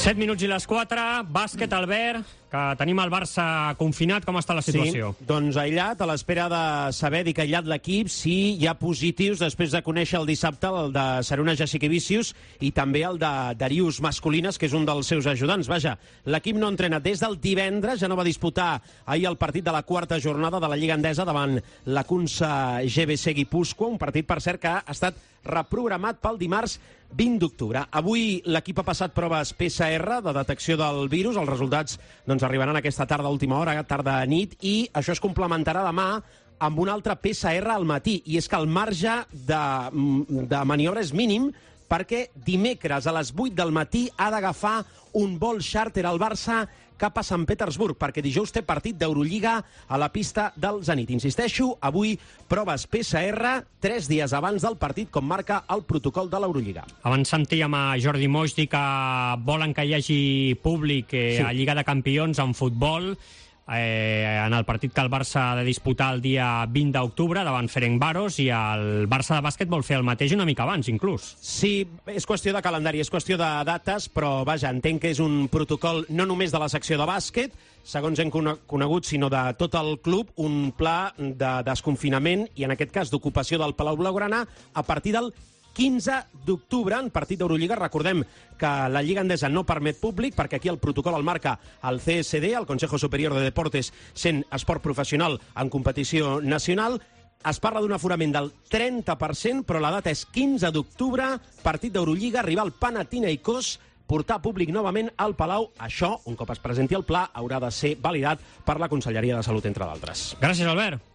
7 minuts i les 4, bàsquet, Albert, que tenim el Barça confinat. Com està la situació? Sí, doncs aïllat, a l'espera de saber, dic aïllat l'equip, si hi ha positius després de conèixer el dissabte el de Seruna Jasikevičius i també el de Darius Masculinas, que és un dels seus ajudants. Vaja, l'equip no entrena des del divendres, ja no va disputar ahir el partit de la quarta jornada de la Lliga Endesa davant la Kunsa GBC Guipúscoa, un partit, per cert, que ha estat reprogramat pel dimarts 20 d'octubre. Avui l'equip ha passat proves PCR de detecció del virus. Els resultats arribaran aquesta tarda a última hora, tarda-nit, i això es complementarà demà amb un altre PCR al matí. I és que el marge de maniobra és mínim, perquè dimecres a les 8 del matí ha d'agafar un vol xàrter al Barça cap a Sant Petersburg, perquè dijous té partit d'Eurolliga a la pista del Zenit. Insisteixo, avui proves PCR 3 dies abans del partit, com marca el protocol de l'Eurolliga. Abans sentíem a Jordi Moix dir que volen que hi hagi públic a Lliga de Campions en futbol, en el partit que el Barça ha de disputar el dia 20 d'octubre davant Ferencváros, i el Barça de bàsquet vol fer el mateix una mica abans, inclús. Sí, és qüestió de calendari, és qüestió de dates, però vaja, entenc que és un protocol no només de la secció de bàsquet, segons hem conegut, sinó de tot el club, un pla de desconfinament i, en aquest cas, d'ocupació del Palau Blaugrana a partir del 15 d'octubre, en partit d'Eurolliga. Recordem que la Lliga Endesa no permet públic, perquè aquí el protocol el marca el CSD, el Consejo Superior de Deportes, sent esport professional en competició nacional. Es parla d'un aforament del 30%, però la data és 15 d'octubre, partit d'Eurolliga, rival Panathinaikos, portar públic novament al Palau. Això, un cop es presenti el pla, haurà de ser validat per la Conselleria de Salut, entre d'altres. Gràcies, Albert.